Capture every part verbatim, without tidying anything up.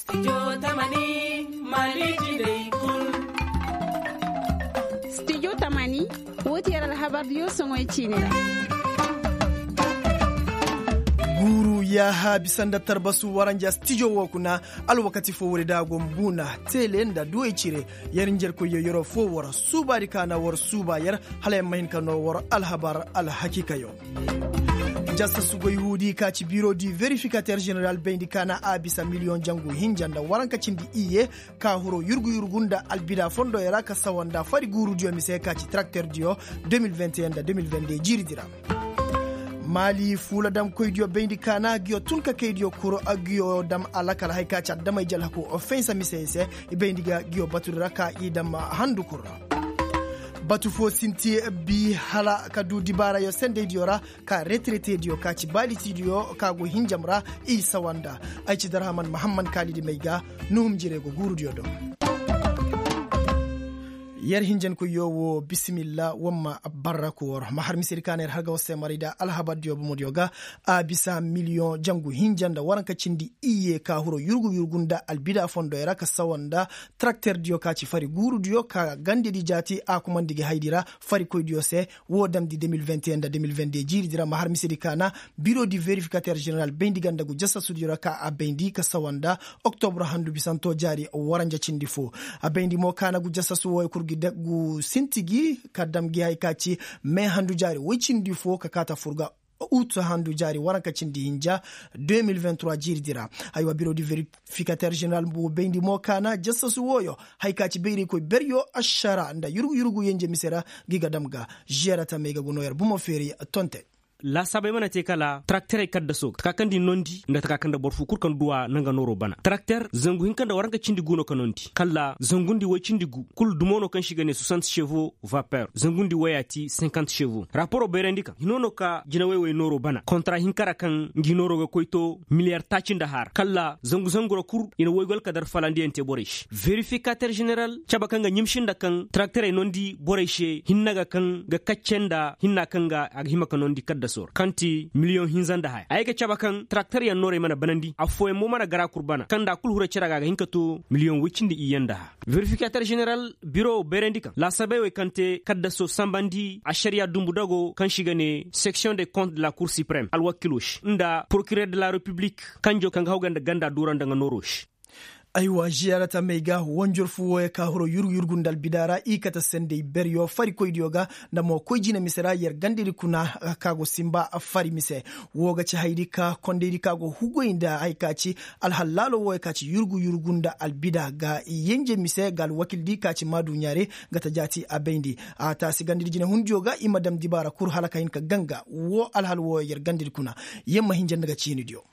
Studio tamani, woo ti yer alhabar diyo soŋoy ciini ra. Guuru yaaha bisa nda tarbasu waranja studio woo kuna. Alwakati foo woodi da a go mbuuna, teele nda duwey cire. Yer njerkoy yo yeroo foo war suubaadi ka na war suuba yer, hala yer ma hin ka noo war alhabar alhakiikayo. Jasta sugoy huudi ka ci biro di verifikater jeneral bayndi ka na a bisa miliyoŋ jangu hinja nda waranka cindi iyye, ka huro yurgu yurgu nda albida fondooyo ra ka sawa nda fari guurudiyo mise ka ci tarakterdiyo. De mil vingt et un nda de mil vingt deux jiiridi ra. Maali fuula damkoydiyo bayndi ka na ngiyo tun ka kaydiyo kuru ngiyo dam alakal hari ka ci adamay jalhaku ofensa misey se. I bayndi ga ngiyo batudi ra ka i dam handu kul ra. Batu foo sinti bi hala ka du dibaarayo sendeydiyo ra, ka reteretediyo ka ci baalitidiyo ka go hinjam ra. I sawa nda ay ci darhaman mahamman kaalidi may ga. Nuhum jire go guurudiyo do. Yer hinjankoyyo woo bisimilla wamma barra koor ma har misedi ka na yer har ga war se maray da alhabardiyo bomodiyo ga. A bisa miliyoŋ jangu hinja nda waranka cindi iyye ka huro yurgu yurgu nda albida fondoyo ra ka sawa nda tarakterdiyo ka ci fari guurudiyo ka gandedi jaati a kumandi gi haydi ra farikoydiyo se. Woo damndi de mil vingt et un nda de mil vingt deux jiiridi ra ma har misedi ka na biro di verifikater jeneral bayndi ganda gu jasasudiyo ra ka a bayndi ka sawa nda oktobur handu bisanto jaari waranja cindi foo. A bayndi mo ka na gu jasasu wooyo kul gi sinti gi ka dam gi hari ka ci me handu jaari woy cindi foo ka kaata fur ga ut handu jaari waranka cindi hinja. De mil vingt trois jiiridi ra. Aywa biro di verifikater jeneral bayndi mo ka na jasasu wooyo hari ka ci bayraykoy beryo ašara nda yurgu yurgu yenje mise ra. Gi ga dam ga žiyara tamey ga gu noo yer bomo feeri tonte. Laasaabey mana te kala tarakterey kaddaso taka kaŋ nda i nondi nda taka kaŋ nda boro foo kul kaŋ duw'a na nga nooroo bana tarakter zangu hinka nda waranka cindi gu no ka nondi kala zangundi woy cindi gu kul dumo no kaŋ se i ga ne soixante chevaux vapeur zangundi woy a ti cinquante chevaux raporo bayrandi kaŋ hino no ka jinawey woy nooroo bana kontara hinka ra kaŋ ngi nooroo ga koy to miliyar taaci nda haara kala zangu zangu ra kul i na woy goy alkadar falandiyaŋ te borey se verifikater jeneral cabe kaŋ ga ɲimsi nda kaŋ tarakterey nondi borey se hinne ga kaŋ ga kacce nda hinna kaŋ ga a ga hima ka nondi kaddasoo ra kaŋ ti miliyoŋ hinza nda haya ay ga cabe kaŋ tarakteryaŋ noorey mana banandi affooyaŋ mo mana gara kul bana kaŋ nda a kul hura cere ga a ga hin ka to miliyoŋ woy cindi iyye nda haya verifikater jeneral biro bayrandi kaŋ laasabey wey kaŋ te kaddasoo sanbandi ašariya dumbu dago kaŋ se i ga ne seksiyoŋ de kont de la kur siprem alwakiloo se nda porokirer de la repiblik kanjo kaŋ ga haw ga nda ganda duura nda nga nooroo se. Aywa ziyaarata may ga wanjor fu wooyo ka hiro yurgu yurgu nda albida ra i kate sendey beryo farikoydiyo ga nda mo koy jina mise ra yer gandedi kuna ka go sinba fari mise. Woo ga ci haydi ka kondaydi ka go hugoy nda hay ka ci alhal laalo wooyo ka ci yurgu yurgu nda albida ga yenje mise ga alwakildi ka ci maaduɲaare. Ga ta jaati a bayndi a taasi gandedi jinehundiyo ga i ma dam dibaara kul hala ka hin ka ganga woo alhal wooyo yer gandedi kuna. Yer ma hinja nda ga ciinidiyo.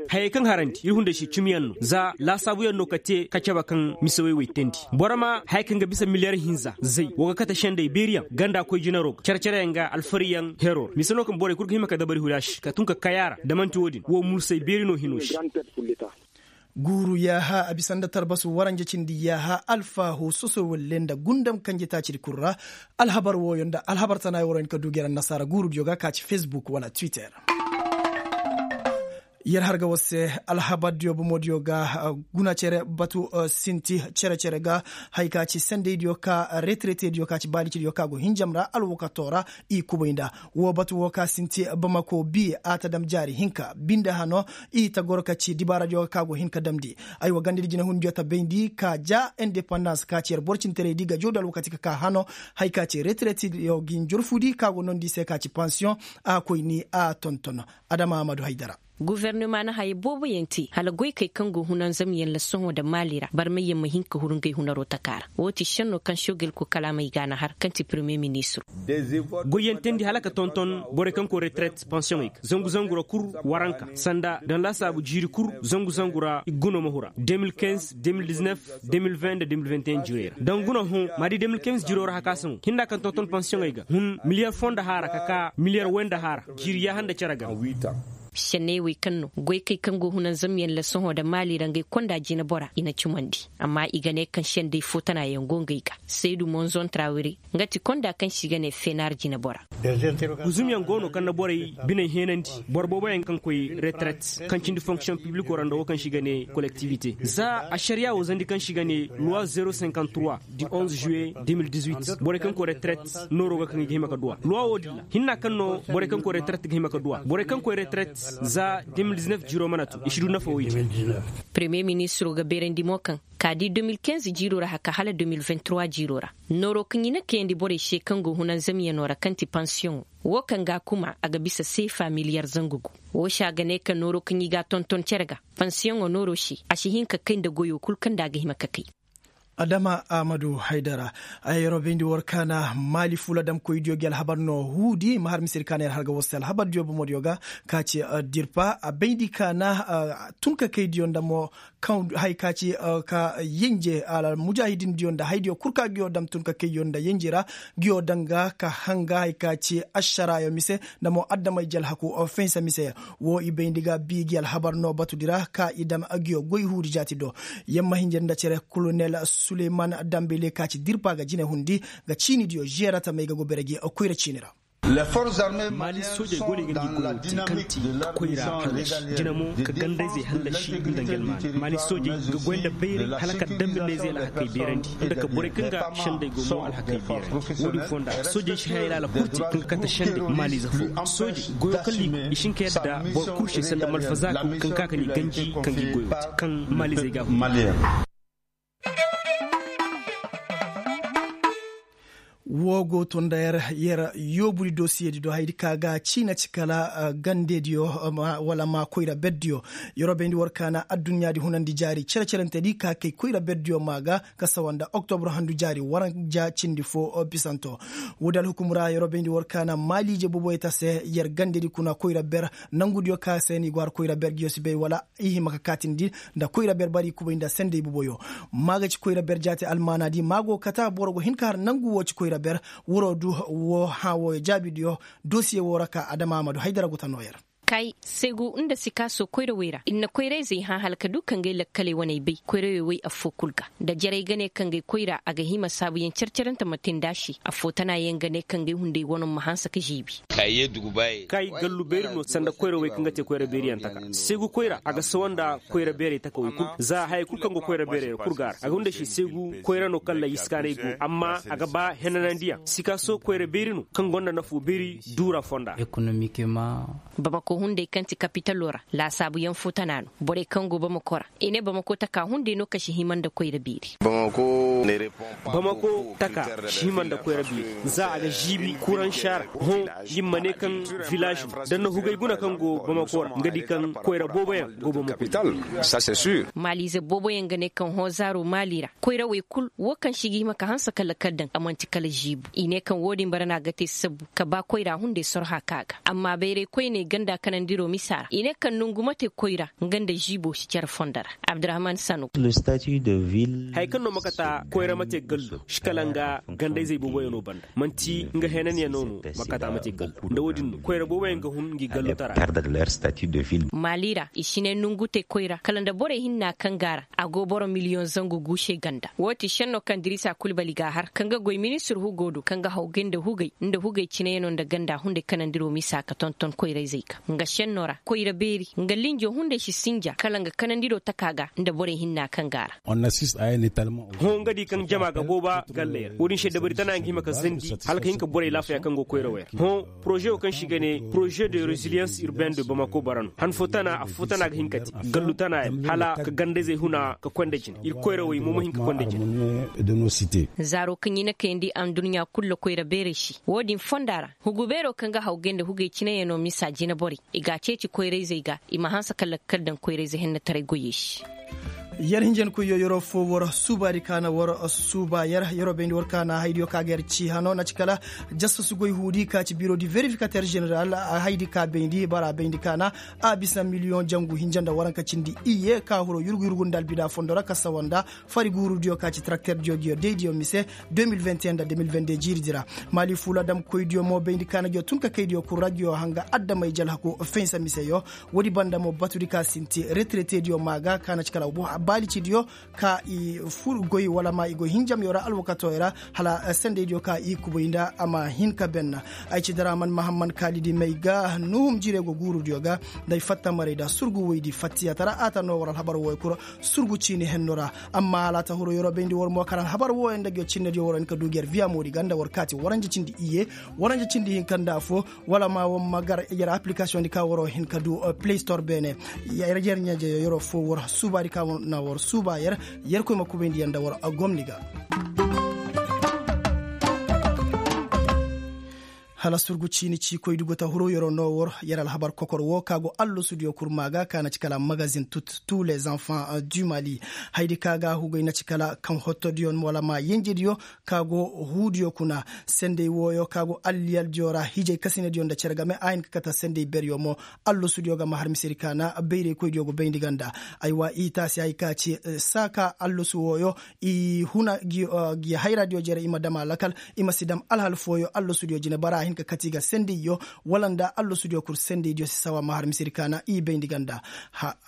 Hayey kaŋ harandi ir hunday se cimiyaŋ no za laasaabuyaŋ no ka te ka cabe kaŋ mise wey wey teendi boro ma haya kaŋ ga bisa miliyar hinza zay woo ga kate sendey beeriyaŋ ganda koy jinaroo ga cere-cereyaŋ ga alfariyaŋ heroo ra mise no kaŋ borey kul ga hima ka dabari huri a se ka tun ka kay a ra da man'ti woo din woo mursay beeri no hinoo se. Guuru yaaha a bisa nda tarbasu waranja cindi yaaha alfaahu soso walle nda gundam kanje taacidi kul ra. Alhabar wooyo nda alhabar tanayo wara hin ka du gera annasaara guurudiyo ga ka ci fesbuk wala twitter. Yer har ga war se alhabardiyo bomodiyo ga guna cere batu sinti cere-cere ga. Hay ka ci sendeydiyo ka reteretediyo ka ci baalicidiyo ka go hinjam ra alwakatoo ra. I kubay nda woo batu woo ka sinti bamako bi a ta dam jaari hinka binde hano. I ta goro ka ci dibaaradiyo ga ka go hin ka damndi. Aywa gandedi jinehundiyo ta bayndi ka ja indepandans ka ci yer boro cinteraydi ga jawdi alwakati ka ka hano. Hay ka ci reteretediyo gi njorfudi ka go noondi i se ka ci pansiyoŋ. A koy ni a tonton. Adama ahmadu haydara. Gofornama na haya booboyaŋ te hala goykey kaŋ go hunanzamyaŋ la sohõ nda maali ra barmayyaŋ ma hin ka huru ngey hunaroo taka ra. Woo ti šennoo kaŋ sogel ko kala a may ga a na har kaŋ ti peremiye ministiroo. Goyyaŋ teendi hala ka tonton borey kaŋ koy retereet pansiyoŋey ga zangu zangu ra kul waranka sanda daŋ laasaabu jiiri kul zangu zangu ra i ga guno ma hura de mil kinz de mil diznef de mil vin nda de mil vinteyen jirey ra daŋ guna hõ ma di de mil kinz jiroo ra hakasaŋo hinda kaŋ tonton pansiyoŋey ga hun miliyar foo nda haara ka ka miliyar way nda haara. Jiiri yaaha nda cere ga. Senney wey kaŋ no goykey kaŋ go hunanzamyaŋ ra sohõ nda maali ra ngey konda jinebora i na cumandi. Amma i ga ne kaŋ sendey fo tanayaŋ go ngey ga. Saydu monzon trawire, nga ti konda kaŋ se i ga ne fenar jinebora. Guzumyaŋ go no kaŋ na borey biney heenandi, boro booboyaŋ kaŋ koy retraite, kaŋ cindi fonksiyoŋ pibliko ra nda wo kaŋ se i ga ne kolektivite. Za ašariya wo zandi kaŋ se i ga ne loi zero cinquante trois du onze juillet deux mille dix-huit, borey kaŋ koy retraite nooro ga kaŋ i ga hima ga duwa loi wo din ra. Hinna kaŋ no borey kaŋ koy retraite ga hima ga duwa borey kaŋ koy retraite za deux mille dix-neuf jiiro mana tun i si du nafa wo i te. Premier ministro ga beerandi mo kaŋ ka di deux mille quinze jiiro ra haka hala deux mille vingt-trois jiiro ra, nooro kaŋ i na kayandi borey se kaŋ go hunanzamyaŋo ra kaŋ ti pansiyoŋo, wo kaŋ ga a kuma a ga bisa seefa miliyar zangu gu. Wo se a ga ne ka nooro kaŋ i ga a tonton cere ga, pansiyoŋo nooro se a si hin ka kay nda goyo kul kaŋ nda a ga hima ka kay. Adama ahmadu haydara. Ay yeroo bayndi war kaana maali fuula damkoydiyo gi alhabar no huudi ma har misedi kaana yer har ga war se alhabardiyo bomodiyo ga, ka ci dirpa a bayndi kaana tunkakaydiyo nda mo kaŋ hay ka ci ka yenje almujaahidindiyo nda haydiyo kul ka giyo dam tunkakayyo nda yenje ra, giyo danga ka hanga hay ka ci ašaraayo mise nda mo adamay jalhaku. Fensa mise wo i bayndi ga bi gi alhabar no batudi ra ka i dam agiyo goy huudi jaati do. Yamma hinjir nda cere kolonel suleyman dambele ka ci dirpa ga jine hundi ga ciinidiyo žeera tamey ga go bere gi koyra ciini ra. Maali soojey go no i ga ngi goyo te kaŋ ti ka koyra hallasi jina mo ka gandayzey hallasi nda ngelmaani maali soojey ga goy nda bayray hala ka dambe neezey alhakey beerandi nda ka borey kaŋ ga sendey go mo alhakey beerandi. Wo-din fonda soojey si haya laala kul te kaŋ ga kate sendey maaliize fo. Soojey goyo kaŋ liibi i si hin ka yadda boro kul se sanda malfazaako kaŋ ka ka n'i ganji ka ngi goyo te kaŋ maaliizey ga a hun. Wo go to nda yer yer yoobudi dosiyedi do hayadi ka ga ciina ci kala gandediyo wala ma koyra berdiyo. Yeroo bayndi war kaana adduɲɲaadi hunandi jaari cere-cerentedi ka kay koyra berdiyo maa ga ka sawa nda oktobro handu jaari waranja cindi fo bisanto. Woodi alhukum ra yeroo bayndi war kaana maaliije boboyeta se yer gandedi kuna koyra ber nangudiyo ka se ni go har koyra ber giyo si bay wala i hima ka kaatindi nda koyra ber bari kubay nda sendey boboyo. Maa ga ci koyra ber jaati almaanaadi maa go kata boro go hin ka har nangu wo ci koyra ber. Wuroo du wo hã wooyo jaabidiyo dosiye woo ra ka adama amadu haydara go ta noo yer. Kay segu nda sikaaso koyrawey ra ir na koyrayzey hã hala ka du ka ngay lakkaley waney bay koyrawey way affoo kul ga. Nda jarey ga ne ka ngay koyra a ga hima saabuyaŋ care-carante ma te nd'a se affoo tanaayaŋ ga ne ka ngay hunday wano ma hanse ka žiibi. Kay gallu beeri no sanda koyrawey kaŋ ga te koyra beeriyaŋ taka segu koyra a ga sawa nda koyra beerey takawey kul za hayey kul kaŋ go koyra beerey ra kul ga a ra a ga hunday se segu koyra no kaŋ ra iskaanay go amma a ga ba henanandiyaŋ sikaaso koyra beeri no kaŋ gonda nafoo beeri duura fonda. Bamako hunday kaŋ ti kapitaloo ra laasaabuyaŋ foo tana no borey kaŋ go bamako ra i ne bamako taka hunday no ka si hima nda koyra beeri. Bamako taka si hima nda koyra beeri za a ga žiibi kuraŋ saara hõ. Nin ma ne kaŋ vilaaž da na hugay guna kaŋ go bamako ra nga di kaŋ koyra booboyaŋ go bamako. Maaliize booboyaŋ ga ne kaŋ hõ zaaro maali ra koyrawey kul wo kaŋ se i ga hima ka hanse kala kala daŋ a man'ti kala žiibu i ne kaŋ wo-din bara no a ga te sabbu ka ba koyra hunday sorha ka ga amma bayray koyney ganda kanandiro misa ra i ne kaŋ nangu ma te koyra nga nda žiibo si care fondo ra. Abdurahman sanu. Haya kaŋ no ma kata koyra ma te gallo si kala nga gandayzey booboyaŋo banda man'ti nga henanyaŋo no ma kata ma te gallo nda wo-din no koyra booboyaŋ ga hun ngi gallotara. Maali ra i si ne nangu te koyra kala nda borey hinna kaŋ go a ra a go boro miliyoŋ zangu gu se ganda wo ti šenno kaŋ dirisa kulbali ga a har kaŋ ga goy ministir hugo do kaŋ ga hawgay nda hugay nda hugay cineyaŋo nda ganda hunday kanandiro misa ka tonton koyrayzey ga nga šenno ra koyra beeri nga linjo hunday si sinja kala nga kanandiro taka ga nda borey hinna kaŋ go a ra. Hõ nga di kaŋ jama ga booba galley ra wo-din se dabari tana nga hima ka zandi hala ka hin ka borey laafaya kaŋ go koyrawey ra hõ. Poroze wo kaŋ se i ga ne poroze de reziliyans urbain de bamako bara no han fo tana affo tana ga hin ka te gallu tana yaŋ hala ka gandayzey huna ka koy nda jine ir koyrawey mo ma hin ka koy nda jine. Zaaro kaŋ i na kayandi adduɲɲa kul ra koyra beerey se wo-din fonda ra hugu beero kaŋ ga hawgay nda hugay cineyaŋo misa jineborey i g'a ceeci koyrayzey ga i ma hanse ka lakkal daŋ koyrayze hennetaray goyey se. Yer hinjankoyyo yeroo foo war suubaadi ka na war suuba yer yeroo bayndi war ka na haydiyo ka ga yer cii hanoo na ci kala, jastasu goy huudi ka ci biiroo di verifikater ženeral haydi ka bayndi bara bayndi ka na a bisa miliyoŋ jangu hinja nda waranka cindi iyye ka huroo yurgu yurgu nda albida fondo ra ka sawa nda fari guurudiyo ka ci tarakterdiyo giyo daydiyo mise. De mil vingt et un nda de mil vingt deux jiiridi ra, maali fuula damkoydiyo mo bayndi ka na giyo tun ka kaydiyo kul ra giyo hanga adamey jalhaku, finsa miseyo. Woodi banda mo batudi ka sinti reteretediyo maa ga ka na ci kala baalicidiyo ka i fur goy wala ma i goy hinjamyo ra alwakatooyo ra, hala sendeydiyo ka i kubay nda a ma hin ka benna. Ay ci daraman mahamman kaalidi may ga nuhum jire go guurudiyo ga, nda ay fatta maray nda surgu woydi fattiya tara a ta noo war alhabar wooyo kul. Surgu ciini henno ra. Amma hala a ta huru yeroo bayndi war mo karaŋ habar wooyo nda giyo cinnediyo war hin ka du gi yer viya moodi ga nda war kaati waranja cindi iyye, waranja cindi hinka nda affoo, wala ma war ma gar yer appilikasiyoŋ di ka waroo hin ka du play store beene. Yer ɲaajeyo yeroo foo war suubaadi ka na war suuba yer, yerkoy ma kubayndi yer nda war gomni ga. Hala surgu ciini ciikoydi go ta huru yeroo noo war yer alhabar kokor woo ka go allasudiyo kul maa ga ka na ci kala magazin tut, tuu les enfants du mali. Haydi ka ga hugay na ci kala kaŋ hottodiyo wala ma yenjediyo ka go huudiyo kuna. Sendey wooyo ka go alliyaldiyo ra hijay kasinadiyo nda cere game a hin ka kate sendey beryo mo. Allasudiyo ga ma har misedi ka na bayraykoydiyo go bayndi ga nda. Aywa i taasi hay ka ci saa ka allasu wooyo i huna gi hayraadiyo jere i ma dam a lakal, i ma si dam alhal fooyo allasudiyo jine bara a hin ka kate i ga sendeyyo, wala nda allasudiyo kul sendeydiyo si sawa ma har misedi ka na i bayndi ga nda.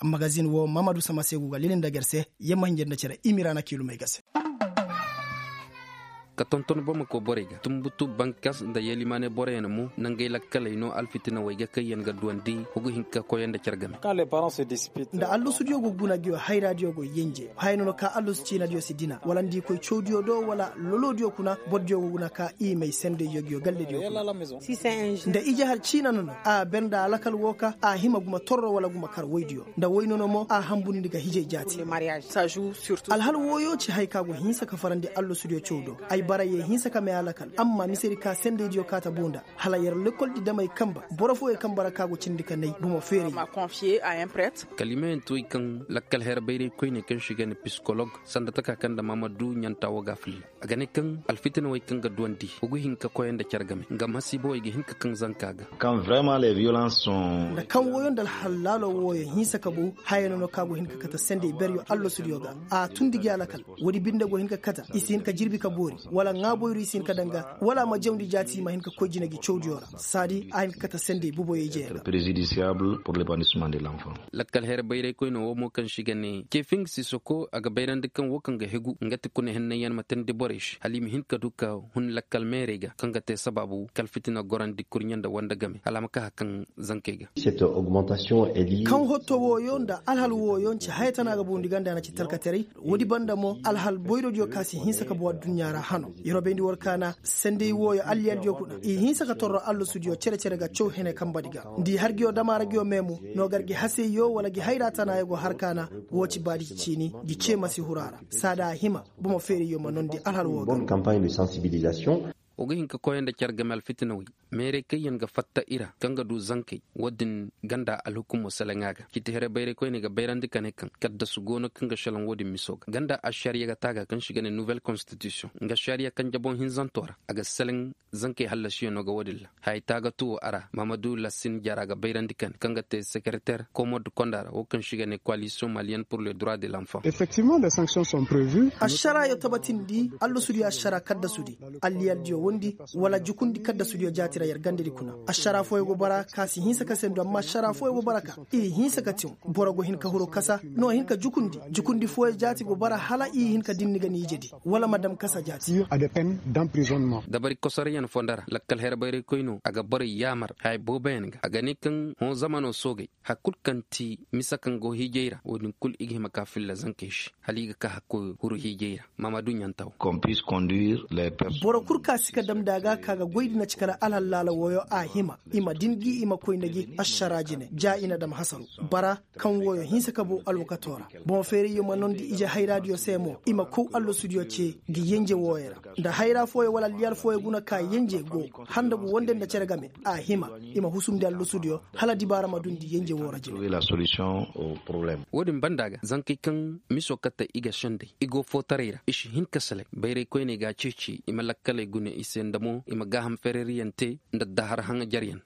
Magazin woo mamadu sama se gu ga lili nda gar se. Yamma hinja nda cere i miraana kiilumey ga se. Ka tonton bamako borey ga tumbutu bankas nda yelimaane boroyaŋ mo nangey lakkaley no alfitinawey ga kaŋ yaŋ ga duwandi hugu hinka koyey nda care game. Nda allusudiyo go guna giyo hayraadiyo go yenje haya no no ka allusu ciinadiyo si dina wala nda i koy cawdiyo do wala lolodiyo kuna bordiyo go guna ka i may sendey yogiyo gallediyo kuna. Nda ije har ciina no no a ber nda alakal wo ka a hima guma torro wala guma kar woydiyo nda woy no no mo a hambundi ga hijey jaati. Alhal wooyo ci hay ka go hinsa ka farandi allosudiyo caw do. Ay bara ye hinsa ka may alakal amma misedi ka sendeydiyo kaata buu nda hala yer lekoldi damey kanba boro fooyey kanba ra ka go cindi ka nay bomo feerey. Kalimayaŋ ti way kaŋ lakkal her bayray koyney kaŋ se i ga ne pisikolog sanda taka kaŋ nda maamadu ɲanta wo ga a filla. A ga ne kaŋ alfitinawey kaŋ ga duwandi wa ga hin ka koyey nda care game nga masiibawey ga hin ka kaŋ zanka ga. Nda kaŋ wooyo nda alhal laalo wooyo hinsa ka bow haya no no ka go hin ka kate sendey beryo allasudiyo ga. A tundi gi alakal woodi binde go hin ka kate i si hin ka jirbi ka boori wala ŋaaboyru i si hin ka daŋ ga wala a ma jawndi jaati i ma hin ka koy jine gi cawdiyo ra. Saadi a hin ka kate sendey buboyo ijey ra. Lakkal her bayray koyne wo mo kaŋ se i ga ne kefing sisoko a ga bayrandi kaŋ wo kaŋ ga hegu nga ti kuna hennanyaŋ ma teendi borey se hala i ma hin ka du ka hun lakkal meerey ga kaŋ ga te sabaabu kala fitina gorandi kurɲe nda wande game hala a ma ka hari kaŋ zankey ga. Kaŋ hotto wooyo nda alhal wooyo nce haya tana ga bundi ganda na ci talkataray. Woodi banda mo alhal boyrodiyo ka si hinsa ka bow adduɲɲa ra hano. Yer wo bayndi war kaana sendey wooyo alliyaldiyo kuna i hinsa ka torro allasudiyo cere-cere ga caw hene kanbadi ga nda i har giyo dama ra giyo meemu. No gar gi haseyyo wala gi hayra tana yago har kaana. Woo ci baadi ciini gi cee ma si huru a ra saada a hima bomo feerayyo ma noondi alhal woo ga. Wa ga hin ka koyey nda care game alfitinawey meerey kaŋ yaŋ ga fatta i ra kaŋ ga du zankey. Woodin ganda alhukumo seleŋa ga ciiti here bayray koyney ga bayrandi ka ne kaŋ kaddasu go no kaŋ ga seleŋ woodin miso ga ganda ašariya ga taaga kaŋ se i ga ne nuwel konstitisiyoŋ nga ašariya kaŋ jaboŋ hinzanto ra a ga seleŋ. Zankey hallasiyaŋo ga woodin ra haya taagatu wo a ra mahamadu lasin jara ga bayrandi ka ne kaŋ ga te sekereter komod konda ra wo kaŋ se i ga ne koalisiyoŋ maliyen pur le dura de lanfan. Ašaraayo tabatindi allasudiyo ašaraa kaddasudi alliyaldiyo wondi wala jukundi kaddasudiyo jaati ra yer gandadi kuna. Ašaraa fooyo go bara ka si hinsa ka sendu amma ašaraa fooyo go bara ka i hinsa ka tiŋ. Boro go hin ka huru kasa no hin ka jukundi jukundi fooyo jaati go bara hala i hin ka dinni ga ni ijedi wala ma dam kasa jaati. Dabari kosoryaŋ fonda ra lakkal her bayray koyno a ga borey yaamar haya booboyaŋ ga a ga ne kaŋ hõ zamano soogey. Hari kul kaŋ ti mise kaŋ go hiijay ra woodin kul i ga hima ka filla zankey se hala i ga ka hakkoy huru hiijay ra. Maamadu ɲantaw. Boro kul ka si Dam da a ga ka ga goy di na ci kala alhallaala wooyo a hima i ma din gi i ma koy nda gi ašaraa jine ja i na dam hasaru bara kaŋ wooyo hinsa ka boo alwakatoo ra. Boŋ feerayyo ma nondi ije hayraadiyo se mo i ma kow allasudiyo ce ga yenje wooyo ra. Nda hayra fooyo wala alliyal fooyo guna ka yenje go handa gu wonde nda cere game a hima i ma husumndi allasudiyo hala dibaara ma dundi yenje woo ra jine. Wo-din banda ga zankey kaŋ miso kate i ga sendey i go footaray ra i si hin ka salay bayray koyney ga a ceeci i ma lakkaley gune i se nda mo i ma gaaham fereeriyaŋ te nda dahar haŋajaryaŋ.